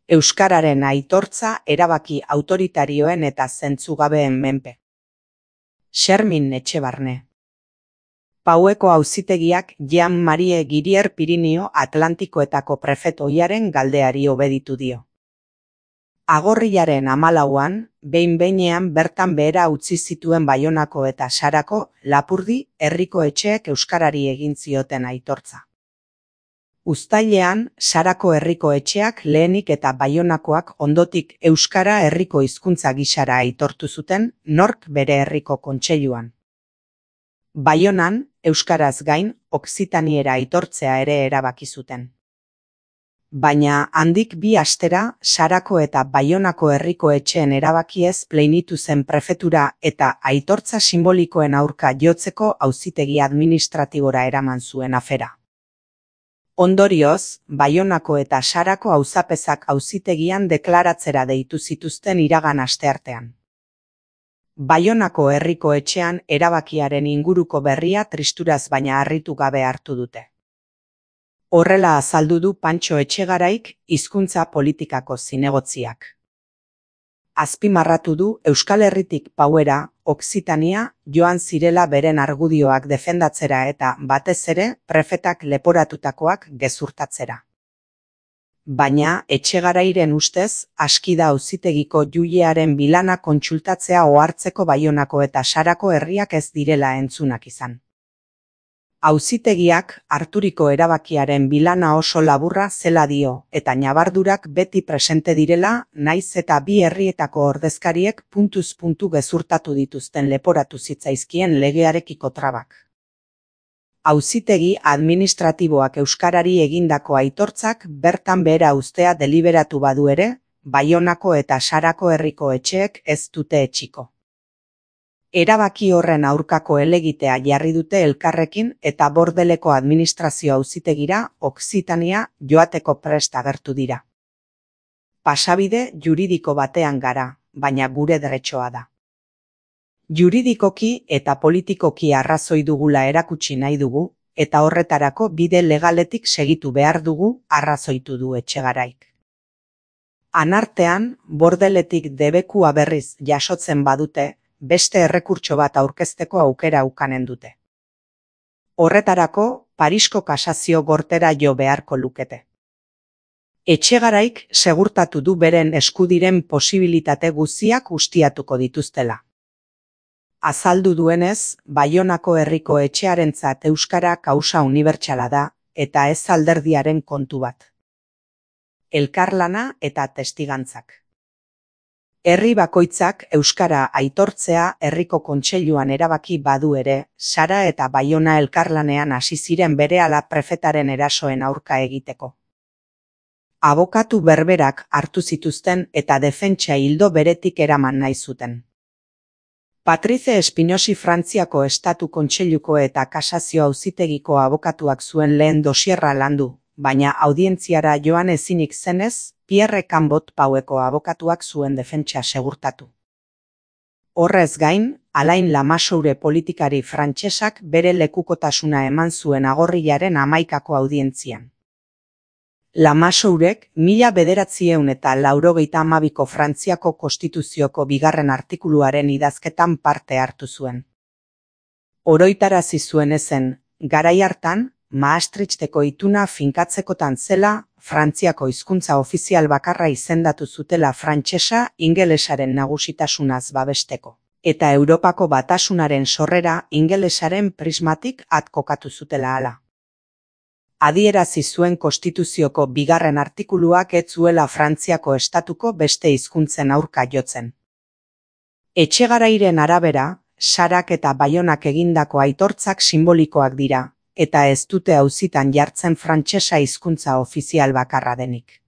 Euskararen aitortza erabaki autoritarioen eta zentzugabeen menpe. Xermin Etxebarne. Paueko auzitegiak Jean Marie Girier Pirinio Atlantikoetako prefetoiaren galdeari obeditu dio. Agorrilaren 14an, behin-behinean bertan behera utzi zituen Baionako eta Sarako, Lapurdi, herriko etxeek euskarari egin zioten aitortza. Uztailean, Sarako herriko etxeak lehenik eta Baionakoak ondotik euskara herriko hizkuntza gisara aitortu zuten, nork bere herriko kontseiluan. Baionan, euskaraz gain, okzitaniera aitortzea ere erabaki zuten. Baina handik 2 astera, Sarako eta Baionako herriko etxeen erabakiez pleinitu zen prefetura eta aitortza simbolikoen aurka jotzeko auzitegi administratibora eraman zuen afera. Ondorioz, Baionako eta Sarako auzapezak auzitegian deklaratzera deitu zituzten iragan asteartean. Baionako herriko etxean erabakiaren inguruko berria tristuraz baina harritu gabe hartu dute. Horrela azaldu du Pantxo Etxegaraik, hizkuntza politikako zinegotziak. Azpimarratu du Euskal Herritik Pauera, Okzitania, joan zirela beren argudioak defendatzera eta, batez ere, prefetak leporatutakoak gezurtatzera. Baina, Etxegarairen ustez, aski da auzitegiko juilearen bilana kontsultatzea ohartzeko Baionako eta Sarako herriak ez direla entzunak izan. Auzitegiak harturiko erabakiaren bilana oso laburra zela dio, eta ñabardurak beti presente direla, naiz eta 2 herrietako ordezkariek puntuz puntu gezurtatu dituzten leporatu zitzaizkien legearekiko trabak. Auzitegi administratiboak euskarari egindako aitortzak bertan behera uztea deliberatu badu ere, Baionako eta Sarako herriko etxeek ez dute etxiko. Erabaki horren aurkako helegitea jarri dute elkarrekin eta Bordeleko administrazio auzitegira Okzitania joateko prest agertu dira. Pasabide juridiko batean gara, baina gure deretxoa da. Juridikoki eta politikoki arrazoi dugula erakutsi nahi dugu, eta horretarako bide legaletik segitu behar dugu arrazoitu du Etxegaraik. Anartean, Bordeletik debekua berriz jasotzen badute, beste errekurtso bat aurkezteko aukera ukanen dute. Horretarako, Parisko kasazio gortera jo beharko lukete. Etxegaraik segurtatu du beren eskudiren posibilitate guztiak ustiatuko dituztela. Azaldu duenez, Baionako herriko etxearentzat euskara kausa unibertsala da, eta ez alderdiaren kontu bat. Elkarlana eta testigantzak. Herri bakoitzak euskara aitortzea herriko kontseiluan erabaki badu ere, Sara eta Baiona elkarlanean hasi ziren berehala prefetaren erasoen aurka egiteko. Abokatu berberak hartu zituzten eta defentsa ildo beretik eraman nahi zuten. Patrice Espinosi Frantziako Estatu Kontseiluko eta Kasazio Auzitegiko abokatuak zuen lehen dosierra landu, baina audientziara joan ezinik zenez, Pierre Cambot Paueko abokatuak zuen defentsa segurtatu. Horrez gain, Alain Lamassoure politikari frantsesak bere lekukotasuna eman zuen agorrilaren 11ako audientzian. Lamassourek 1992ko Frantziako Konstituzioko 2. artikuluaren idazketan parte hartu zuen. Oroitarazi zuen ezen, garai hartan, Maastrichteko ituna finkatzekotan zela, Frantziako hizkuntza ofizial bakarra izendatu zutela frantsesa ingelesaren nagusitasunaz babesteko, eta Europako Batasunaren sorrera ingelesaren prismatik kokatu zutela hala. Adierazi zuen Konstituzioko 2. artikuluak ez zuela Frantziako estatuko beste hizkuntzen aurka jotzen. Etxegarairen arabera, Sarak eta Baionak egindako aitortzak simbolikoak dira, eta ez dute auzitan jartzen frantsesa hizkuntza ofizial bakarra denik.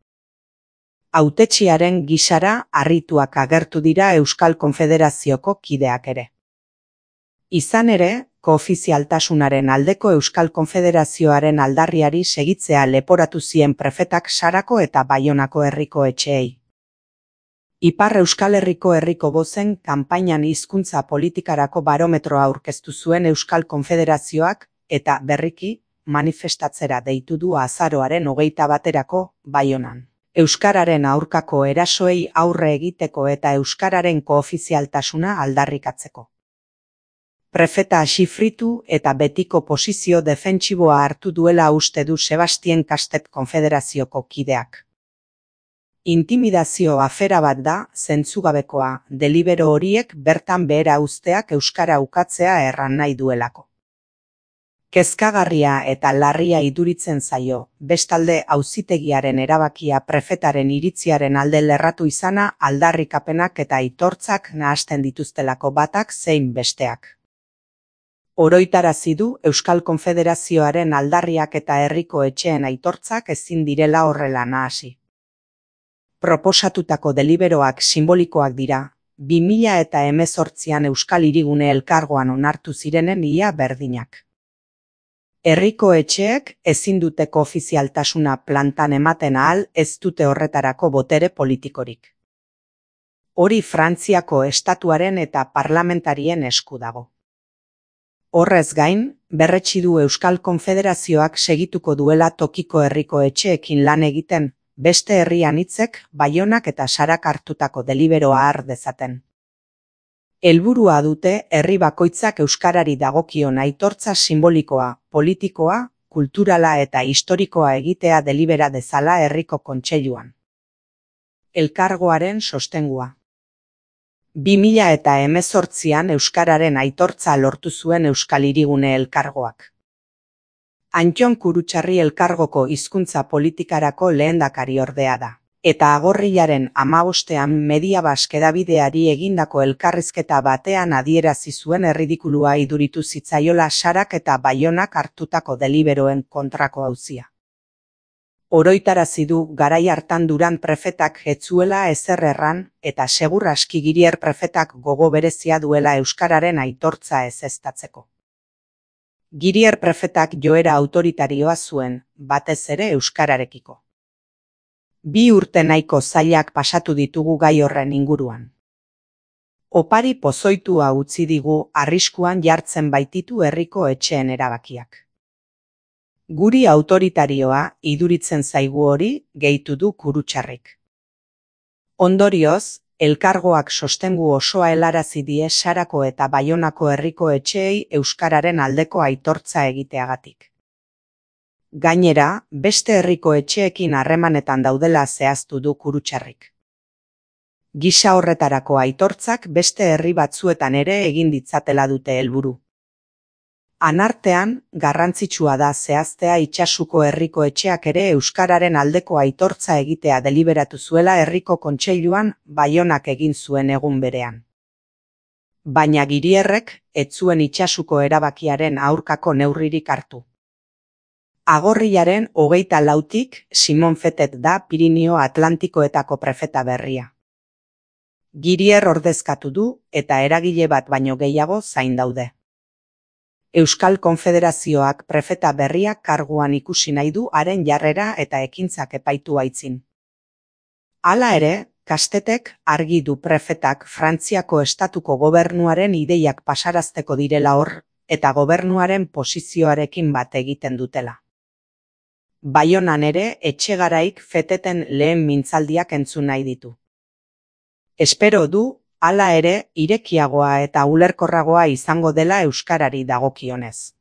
Hautetsiaren gisara harrituak agertu dira Euskal Konfederazioko kideak ere. Izan ere, koofizialtasunaren aldeko Euskal Konfederazioaren aldarriari segitzea leporatu zien prefetak Sarako eta Baionako herriko etxeei. Ipar Euskal Herriko herriko bozen kanpainan hizkuntza politikarako barometroa aurkeztu zuen Euskal Konfederazioak, eta berriki, manifestatzera deitu du azaroaren 21erako Baionan. Euskararen aurkako erasoei aurre egiteko eta euskararen koofizialtasuna aldarrikatzeko. Prefeta xifritu eta betiko posizio defentsiboa hartu duela uste du Sebastien Kastet konfederazioko kideak. Intimidazio afera bat da, zentzugabekoa, delibero horiek bertan behera uzteak euskara ukatzea erran nahi duelako. Kezkagarria eta larria iduritzen zaio, bestalde auzitegiaren erabakia prefetaren iritziaren alde lerratu izana aldarrikapenak eta aitortzak nahasten dituztelako batak zein besteak. Oroitarazi du Euskal Konfederazioaren aldarriak eta herriko etxeen aitortzak ezin direla horrela nahasi. Proposatutako deliberoak simbolikoak dira, 2018an Euskal Hirigune Elkargoan onartu zirenen ia berdinak. Herriko etxeek ezin duteko ofizialtasuna plantan ematen ahal ez dute horretarako botere politikorik. Hori Frantziako estatuaren eta parlamentarien esku dago. Horrez gain, berretsi du Euskal Konfederazioak segituko duela tokiko herriko etxeekin lan egiten, beste herri anitzek, Baionak eta Sarak hartutako deliberoa har dezaten. Helburua dute herri bakoitzak euskarari dagokion aitortza simbolikoa, politikoa, kulturala eta historikoa egitea delibera dezala herriko kontseiluan. Elkargoaren sostengua. 2018an euskararen aitortza lortu zuen Euskal Hirigune Elkargoak. Antton Kurutxarri Elkargoko hizkuntza politikarako lehendakariordea da. Eta agorrilaren 15ean Mediabask hedabideari egindako elkarrizketa batean adierazi zuen erridikulua iduritu zitzaiola Sarak eta Baionak hartutako deliberoen kontrako auzia. Oroitarazi du garai hartan Duran prefetak ez zuela ezer erran eta segur aski Girier prefetak gogo berezia duela euskararen aitortza ezeztatzeko. Girier prefetak joera autoritarioa zuen, batez ere euskararekiko. 2 urte nahiko zailak pasatu ditugu gai horren inguruan. Opari pozoitua utzi digu arriskuan jartzen baititu herriko etxeen erabakiak. Guri autoritarioa iduritzen zaigu hori, gehitu du Kurutxarrik. Ondorioz, elkargoak sostengu osoa helarazi die Sarako eta Baionako herriko etxeei euskararen aldeko aitortza egiteagatik. Gainera, beste herriko etxeekin harremanetan daudela zehaztu du Kurutxarrik. Gisa horretarako aitortzak beste herri batzuetan ere egin ditzatela dute helburu. Anartean, garrantzitsua da zehaztea Itsasuko herriko etxeak ere euskararen aldeko aitortza egitea deliberatu zuela herriko kontseiluan Baionak egin zuen egun berean. Baina Girierrek ez zuen Itsasuko erabakiaren aurkako neurririk hartu. Agorrilaren 24tik Simon Fetet da Pirinio Atlantikoetako prefeta berria. Girier ordezkatu du eta eragile bat baino gehiago zain daude. Euskal Konfederazioak prefeta berriak karguan ikusi nahi du haren jarrera eta ekintzak epaitu aitzin. Hala ere, Kastetek argi du prefetak Frantziako estatuko gobernuaren ideiak pasarazteko direla hor eta gobernuaren posizioarekin bat egiten dutela. Baionan ere etxegaraik Feteten lehen mintzaldiak entzun nahi ditu. Espero du, hala ere, irekiagoa eta ulerkorragoa izango dela euskarari dagokionez.